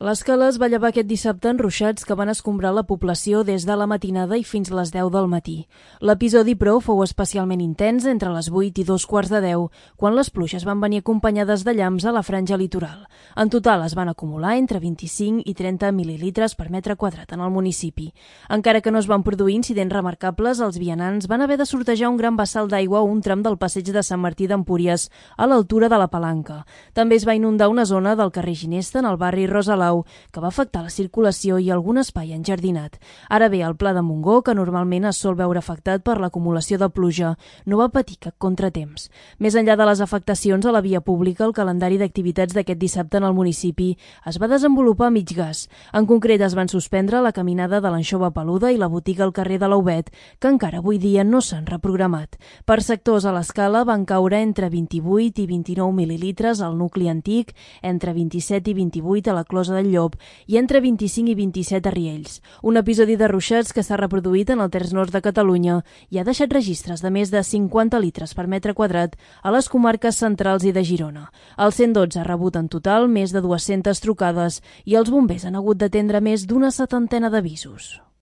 L'Escala es va llevar aquest dissabte en ruixats que van escombrar la població des de la matinada i fins les 10 del matí. L'episodi, però, fou especialment intens entre les 8 i 2:15, quan les pluges van venir acompanyades de llamps a la franja litoral. En total es van acumular entre 25 i 30 mil·lilitres per metre quadrat en el municipi. Encara que no es van produir incidents remarcables, els vianants van haver de sortejar un gran vessal d'aigua a un tram del passeig de Sant Martí d'Empúries, a l'altura de la Palanca. També es va inundar una zona del carrer Ginesta, en el barri Rosalau, que va afectar la circulació i algun espai enjardinat. Ara bé, el Pla de Montgó, que normalment es sol veure afectat per l'acumulació de pluja, no va patir cap contratemps. Més enllà de les afectacions a la via pública, el calendari d'activitats d'aquest dissabte en el municipi es va desenvolupar a mig gas. En concret, es van suspendre la caminada de l'Anxova Peluda i la botiga al carrer de l'Aubet, que encara avui dia no s'han reprogramat. Per sectors, a l'Escala van caure entre 28 i 29 mil·lilitres al nucli antic, entre 27 i 28 a la Closa del Llop i entre 25 i 27 a Riells. Un episodi de ruixats que s'ha reproduït en el terç nord de Catalunya i ha deixat registres de més de 50 litres per metre quadrat a les comarques centrals i de Girona. El 112 ha rebut en total més de 200 trucades i els bombers han hagut d'atendre més d'una setantena d'avisos.